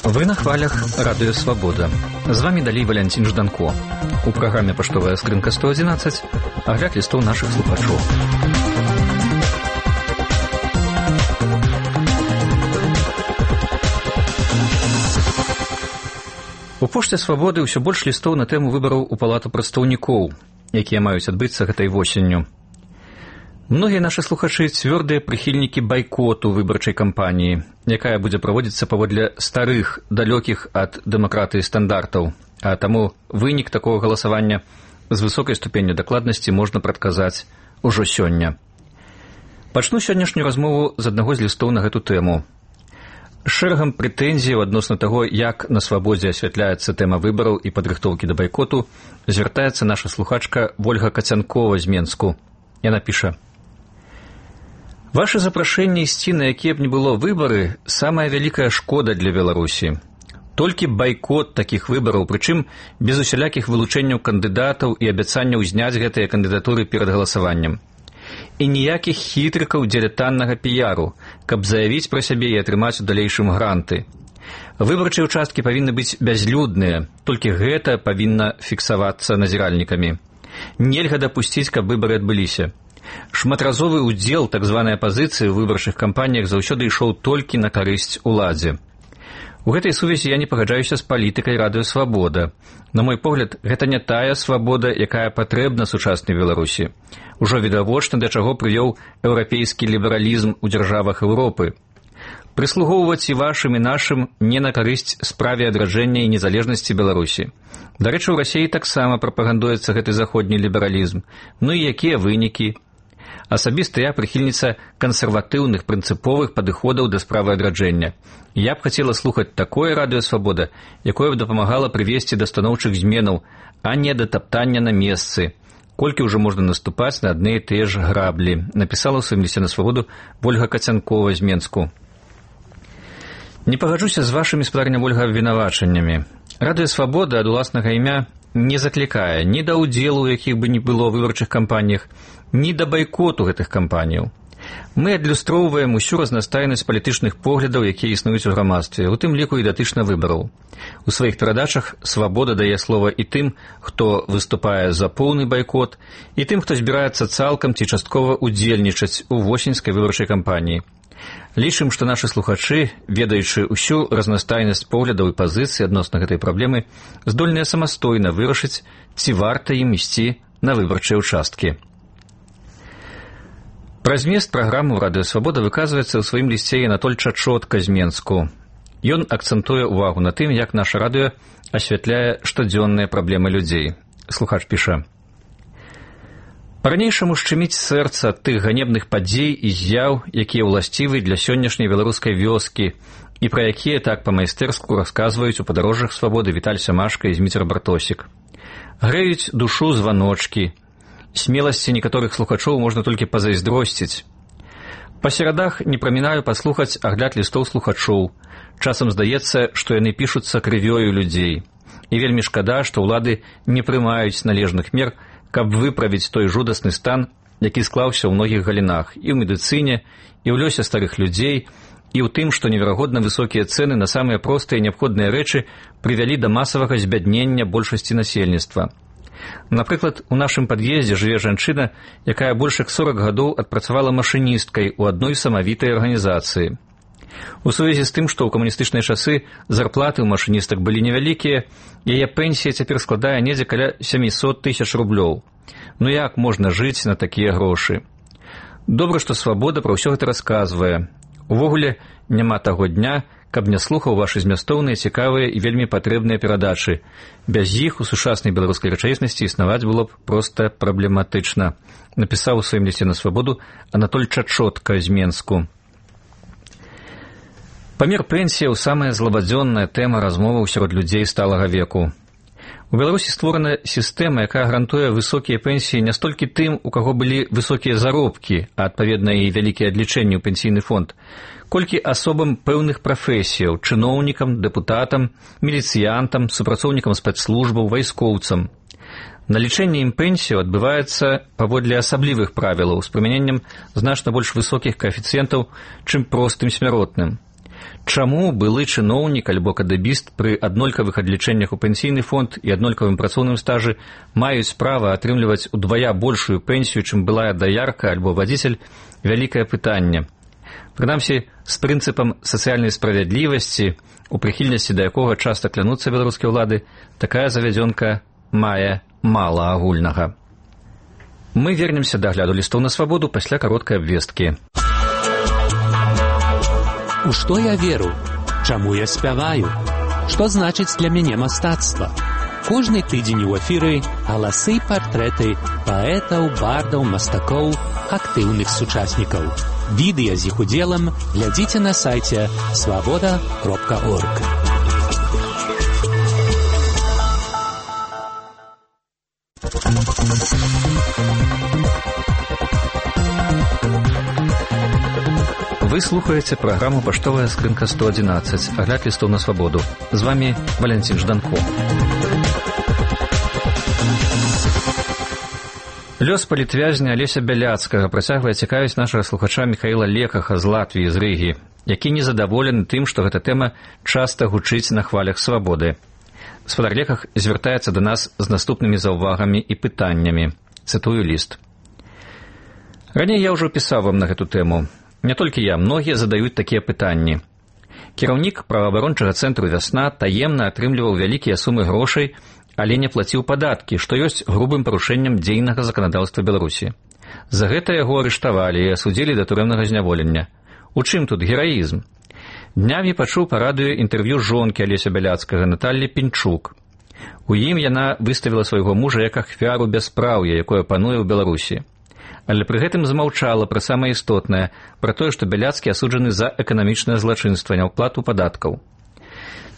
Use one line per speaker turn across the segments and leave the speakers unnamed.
Вы на хвалях Радио Свобода. З вами далей Валянцін Жданко. У праграме «Паштовая скрынка 111» агляд лістоў нашых слухачоў. У Пошце Свабоды ўсё больш лістоў на тэму выбараў у Палату прадстаўнікоў, якія маюць адбыцца гэтай восенню. Многія нашы слухачы цвёрдыя прыхільнікі байкоту выбарчай кампаніі, якая будзе праводзіцца паводле старых, далёкіх ад дэмакратыі стандартаў, а таму вынік такога галасавання з высокай ступенню дакладнасці можна прадказаць ужо сёння. Пачну сённяшнюю размову з аднаго з лістоў на гэту тэму. Шэрагам прэтэнзіяў адносна таго, як на Свабодзе асвятляецца тэма выбараў і падрыхтоўкі да байкоту, звяртаецца наша слухачка Вольга Кацянкова з Менску. Яна піша: «Ваше запрашэнне ісці на якія б не было выбары – самая вялікая шкода для Беларусі. Толькі байкот такіх выбараў, прычым без усялякіх вылучэнняў кандыдатаў і абяцанняў зняць гэтыя кандыдатуры перад галасаваннем. І ніякіх хітрыкаў дзеля таннага піяру, каб заявіць пра сябе і атрымаць у далейшым гранты. Выбарчыя ўчасткі павінны быць бязлюдныя, толькі гэта павінна фіксавацца назіральнікамі. Нельга дапусціць, каб выбары адбыліся. Шматразовы ўдзел так званай апазіцыі ў выбарчых кампаніях заўсёды ішоў толькі на карысць уладзе. У гэтай сувязі я не пагаджаюся з палітыкай Радыё Свабода. На мой погляд, гэта не тая свабода, якая патрэбна сучаснай Беларусі. Ужо відавочна, да чаго прывёў еўрапейскі лібералізм у дзяржавах Еўропы. Прыслугоўваць і вашым, і нашым не на карысць справе адраджэння і незалежнасці Беларусі. Дарэчы, у Расіі таксама прапагандуецца гэты заходні лібералізм. Ну і якія вынікі? Асабіста я прыхільніца кансерватыўных прынцыповых падыходаў да справы адраджэння. Я б хацела слухаць такое Радыё Свабода, якое б дапамагала прывесці да станоўчых зменаў, а не да таптання на месцы. Колькі ўжо можна наступаць на адны і тыя ж граблі, напісала ў сваім лісце на Свабоду Вольга Кацянкова з Менску. Не пагаджуся з вашымі, спадарня Вольга, абвінавачаннямі. Радыё Свабода ад уласнага імя не заклікае ні да ўдзелу, у якіх бы не было выбарчых кампаніях, ні да байкоту гэтых кампаніяў. Мы адлюстроўваем усю разнастайнасць палітычных поглядаў, якія існуюць у грамадстве, у тым ліку і датычна выбараў. У сваіх перадачах Свабода дае слова і тым, хто выступае за поўны байкот, і тым, хто збіраецца цалкам ці часткова удзельнічаць у восеньскай выбарчай кампаніі. Лічым, што нашы слухачы, ведаючы ўсю разнастайнасць поглядаў і пазіцый адносна гэтай праблемы, здольныя самастойна вырашыць, ці варта ім ісці на выбарчыя ўчасткі. Пра змест праграмы ў Радыё Свабода выказваецца ў сваім лісце Анатоль Чачотка з Менску. Ён акцэнтуе ўвагу на тым, як наша радыё асвятляе штодзённыя праблемы людзей. Слухач піша: «Па-ранейшаму шчыміць сэрца ад тых ганебных падзей і з'яў, якія ўласцівы для сённяшняй беларускай вёскі і пра якія так па-майстэрску расказваюць у падарожжах Свабоды Віталь Сямашка і Зміцер Бартосік. Грэюць душу званочкі. Смеласці некаторых слухачоў можна толькі пазайздросціць. Па серадах не прамінаю паслухаць агляд лістоў слухачоў. Часам здаецца, што яны пішуцца крывёю людзей. І вельмі шкада, што ўлады не прымаюць належных мер, каб выправіць той жудасны стан, які склаўся ў многіх галінах, і ў медыцыне, і ў лёсе старых людзей, і ў тым, што неверагодна высокія цэны на самыя простыя неабходныя рэчы прывялі да масавага збяднення большасці насельніцтва. Напрыклад, у нашым пад'ездзе жыве жанчына, якая больш як 40 гадоў адпрацавала машыністкай у адной самавітай арганізацыі. У сувязі з тым, што ў камуністычныя часы зарплаты ў машыністак былі невялікія, яе пенсія цяпер складае недзе каля 700 000 рублёў. Ну як можна жыць на такія грошы? Добра, што Свабода пра ўсё гэта расказвае. Увогуле, няма таго дня, каб не слухаў вашы змястоўныя, цікавыя і вельмі патрэбныя перадачы. Без іх у сучаснай беларускай рэчаіснасці існаваць было б проста праблематычна, напісаў у сваім лісце на Свабоду Анатоль Чачотка з Менску. Памер пенсіяў – самая злабадзённая тэма размоваў сярод людзей сталага веку. У Беларусі створана сістэма, якая гарантуе высокія пенсіі не столькі тым, у каго былі высокія заробкі, а адпаведна і вялікія адлічэнні ў пенсійны фонд, колькі асобам пэўных прафесіяў, чыноўнікам, дэпутатам, міліцыянтам, супрацоўнікам спецслужбаў, вайскоўцам. Налічэнне ім пенсію адбываецца паводле асаблівых правілаў з прымяненнем значна больш высокіх каэфіцыентаў, чым простым смяротным. Чаму былы чыноўнік альбо кадэбіст пры аднолькавых адлічэннях у пенсійны фонд і аднолькавым працоўным стажы маюць права атрымліваць удвая большую пенсію, чым былая даярка альбо вадзіцель, вялікае пытанне. Прынамсі, з прынцыпам сацыяльнай справядлівасці, у прыхільнасці да якога часта клянуцца беларускія ўлады, такая завядзёнка мае мала агульнага. Мы вернемся да агляду лістоў на свабоду пасля кароткай абвесткі.
У што я веру? Чаму я спяваю? Што значыць для мяне мастацтва? Кожны тыдзень у эфіры галасы і партрэты паэтаў, бардаў, мастакоў, актыўных сучаснікаў. Відэа з іх удзелам глядзіце на сайце свабода.орг.
Вы слухаеце праграму «Паштовая скрынка 111», агляд лістоў на свабоду. З вами Валянцін Жданко. Лёс палітвязня Алеся Бяляцкага працягвае цікавіць нашага слухача Міхаіла Лекаха з Латвіі, з Рыгі, які незадаволены тым, што гэта тэма часта гучыць на хвалях свабоды. Гаспадар Леках звяртаецца да нас з наступнымі заўвагамі і пытаннямі. Цытую ліст. Раней я ўжо пісаў вам на гэту тэму. Не толькі я, многія задаюць такія пытанні. Кіраўнік праваабарончага цэнтру «Вясна» таемна атрымліваў вялікія сумы грошай, але не плаціў падаткі, што ёсць грубым парушэннем дзейнага заканадаўства Беларусі. За гэта яго арыштавалі і асудзілі да турэмнага зняволення. У чым тут гераізм? Днямі пачуў па радыё інтэрв'ю жонкі Алеся Бяляцкага Наталлі Пінчук. У ім яна выставіла свайго мужа як ахвяру бяспраўя, якое пануе ў Беларусі. Але пры гэтым змаўчала пра самае істотнае, пра тое, што Бяляцкі асуджаны за эканамічнае злачынства, няўплату падаткаў.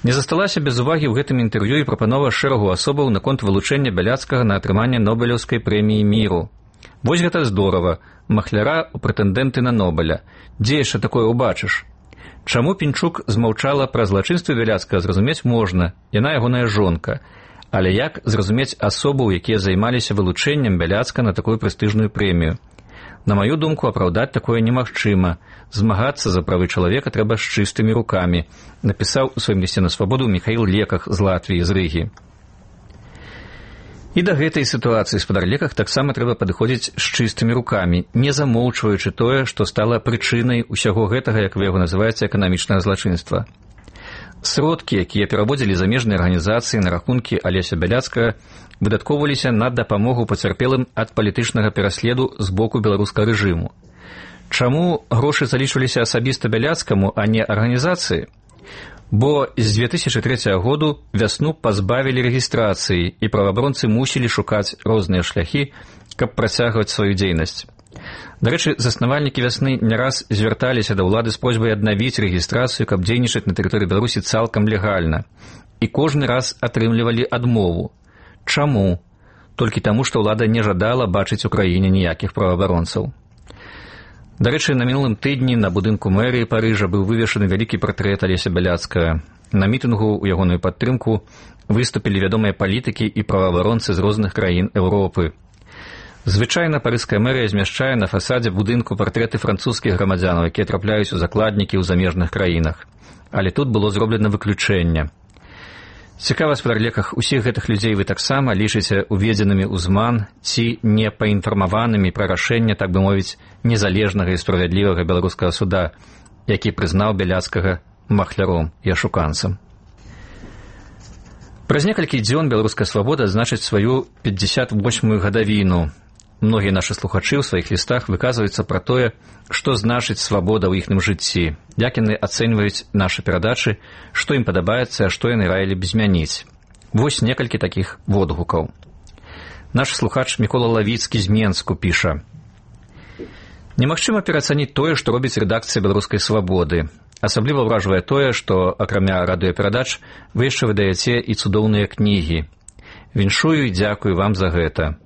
Не засталася без увагі ў гэтым інтэрв'ю і прапанова шэрагу асобаў наконт вылучэння Бяляцкага на атрыманне Нобелеўскай прэміі міру. Вось гэта здорава, махляра ў прэтэндэнты на Нобеля. Дзе яшчэ такое ўбачыш? Чаму Пінчук змаўчала пра злачынствы Бяляцкага, зразумець можна, яна ягоная жонка. Але як зразумець асобаў, якія займаліся вылучэннем Бяляцка на такую прэстыжную прэмію? На маю думку, апраўдаць такое немагчыма. Змагацца за правы чалавека трэба з чыстымі рукамі, напісаў у сваім лісце на свабоду Міхаіл Леках з Латвіі, з Рыгі. І да гэтай сітуацыі, гаспадар Леках, таксама трэба падыходзіць з чыстымі рукамі, не замоўчваючы тое, што стала прычынай усяго гэтага, як вы яго называеце, эканамічнага злачынства. Сродкі, якія пераводзілі замежныя арганізацыі на рахункі Алеся Бяляцкага, выдаткоўваліся на дапамогу пацярпелым ад палітычнага пераследу з боку беларускага рэжыму. Чаму грошы залічваліся асабіста Бяляцкаму, а не арганізацыі? Бо з 2003 году «Вясну» пазбавілі рэгістрацыі, і праваабаронцы мусілі шукаць розныя шляхі, каб працягваць сваю дзейнасць. Дарэчы, заснавальнікі «Вясны» не раз звярталіся да ўлады з просьбай аднавіць рэгістрацыю, каб дзейнічаць на тэрыторыі Беларусі цалкам легальна. І кожны раз атрымлівалі адмову. Чаму? Толькі таму, што ўлада не жадала бачыць у краіне ніякіх праваабаронцаў. Дарэчы, на мінулым тыдні на будынку мэрыі Парыжа быў вывешаны вялікі партрэт Алеся Бяляцкага. На мітынгу ў ягоную падтрымку выступілі вядомыя палітыкі і праваабаронцы з розных краін Еўропы. Звычайна парыжская мэрыя змяшчае на фасадзе будынку партрэты французскіх грамадзянаў, якія трапляюць у закладнікі ў замежных краінах. Але тут было зроблена выключэнне. Цікава, гаспадар Леках, усіх гэтых людзей вы таксама лічыце уведзенымі ў зман ці не паінфармаванымі пра рашэнне, так бы мовіць, незалежнага і справядлівага беларускага суда, які прызнаў Бяляцкага махляром і ашуканцам. Праз некалькі дзён беларуская свабода адзначыць сваю 58-ю гадавіну. Многія нашы слухачы ў сваіх лістах выказваюцца пра тое, што значыць свабода ў іхным жыцці, як яны ацэньваюць нашы перадачы, што ім падабаецца, а што яны раілі б змяніць. Вось некалькі такіх водгукаў. Наш слухач Мікола Лавіцкі з Менску піша: «Немагчыма пераацаніць тое, што робіць рэдакцыя беларускай свабоды. Асабліва ўражвае тое, што, акрамя радыёперадач, вы яшчэ выдаяце і цудоўныя кнігі. Віншую і дзякую вам за гэта.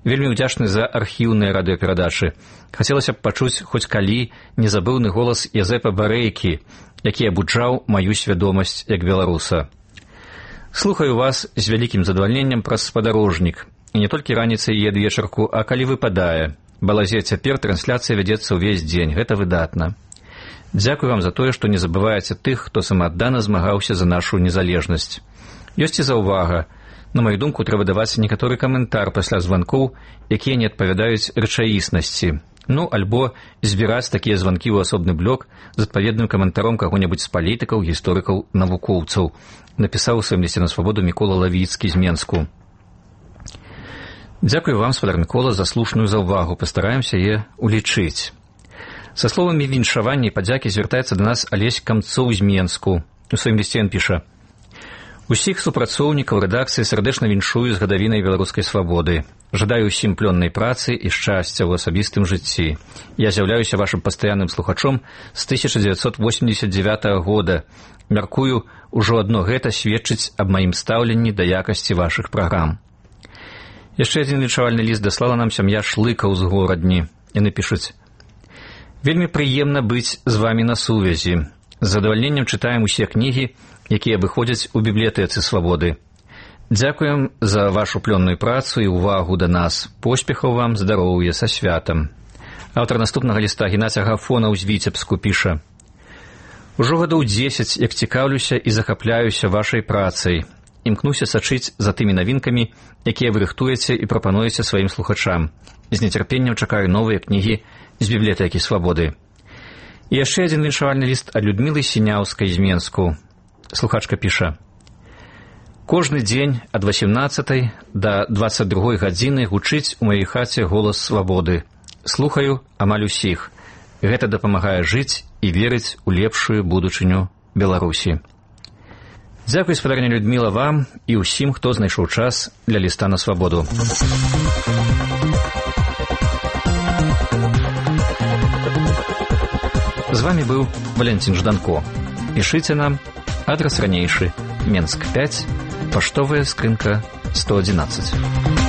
Вельмі ўдзячны за архіўныя радыёперадачы. Хацелася б пачуць хоць калі незабыўны голас Язэпа Барэйкі, які абуджаў маю свядомасць як беларуса. Слухаю вас з вялікім задавальненнем праз спадарожнік. і не толькі раніцай і адвечарку, а калі выпадае. Балазе, цяпер трансляцыя вядзецца ўвесь дзень, гэта выдатна. Дзякуй вам за тое, што не забываеце тых, хто самааддана змагаўся за нашу незалежнасць. Ёсць і заўвага. На маю думку, трэба даваць некаторы каментар пасля званкоў, якія не адпавядаюць рэчаіснасці. Альбо збіраць такія званкі ў асобны блок з адпаведным каментаром каго-небудзь з палітыкаў, гісторыкаў, навукоўцаў, напісаў у сваім лісце на свабоду Мікола Лавіцкі з Менску. Дзякуй вам, спадар Мікола, за слушную заўвагу, пастараемся яе улічыць. Са словамі віншавання і падзякі звяртаецца да нас Алесь Камцоў з Менску. У сваім лісце ён піша: «Усіх супрацоўнікаў рэдакцыі сардэчна віншую з гадавінай беларускай свабоды. Жадаю ўсім плённай працы і шчасця ў асабістым жыцці. Я з'яўляюся вашым пастаянным слухачом з 1989 года. Мяркую, ужо адно гэта сведчыць аб маім стаўленні да якасці вашых праграм». Яшчэ адзін віншавальны ліст даслала нам сям'я Шлыкаў з Горадні. Яны пішуць: «Вельмі прыемна быць з вамі на сувязі. З задавальненнем чытаем усе кнігі, якія выходзяць у бібліятэцы свабоды. Дзякуем за вашу плённую працу і ўвагу да нас. Поспехаў вам, здароўя, са святам». Аўтар наступнага ліста Геннадзь Агафонаў з Віцебску піша: «Ужо гадоў 10, як цікаўлюся і захапляюся вашай працай. Імкнуся сачыць за тымі навінкамі, якія вы рыхтуеце і прапануеце сваім слухачам. З нецярпеннем чакаю новыя кнігі з бібліятэкі свабоды». І яшчэ адзін віншавальны ліст ад Людмілы Сіняўскай з Менску. Слухачка піша: «Кожны дзень ад 18 да 22 гадзіны гучыць у маёй хаце голас свабоды. Слухаю амаль усіх. Гэта дапамагае жыць і верыць у лепшую будучыню Беларусі». Дзякуй, спадарня Людміла, вам і ўсім, хто знайшоў час для ліста на свабоду. З вами быў Валентин Жданко. Пішыце нам. Адрес ранейшы. Менск 5, паштовая скрынка 111.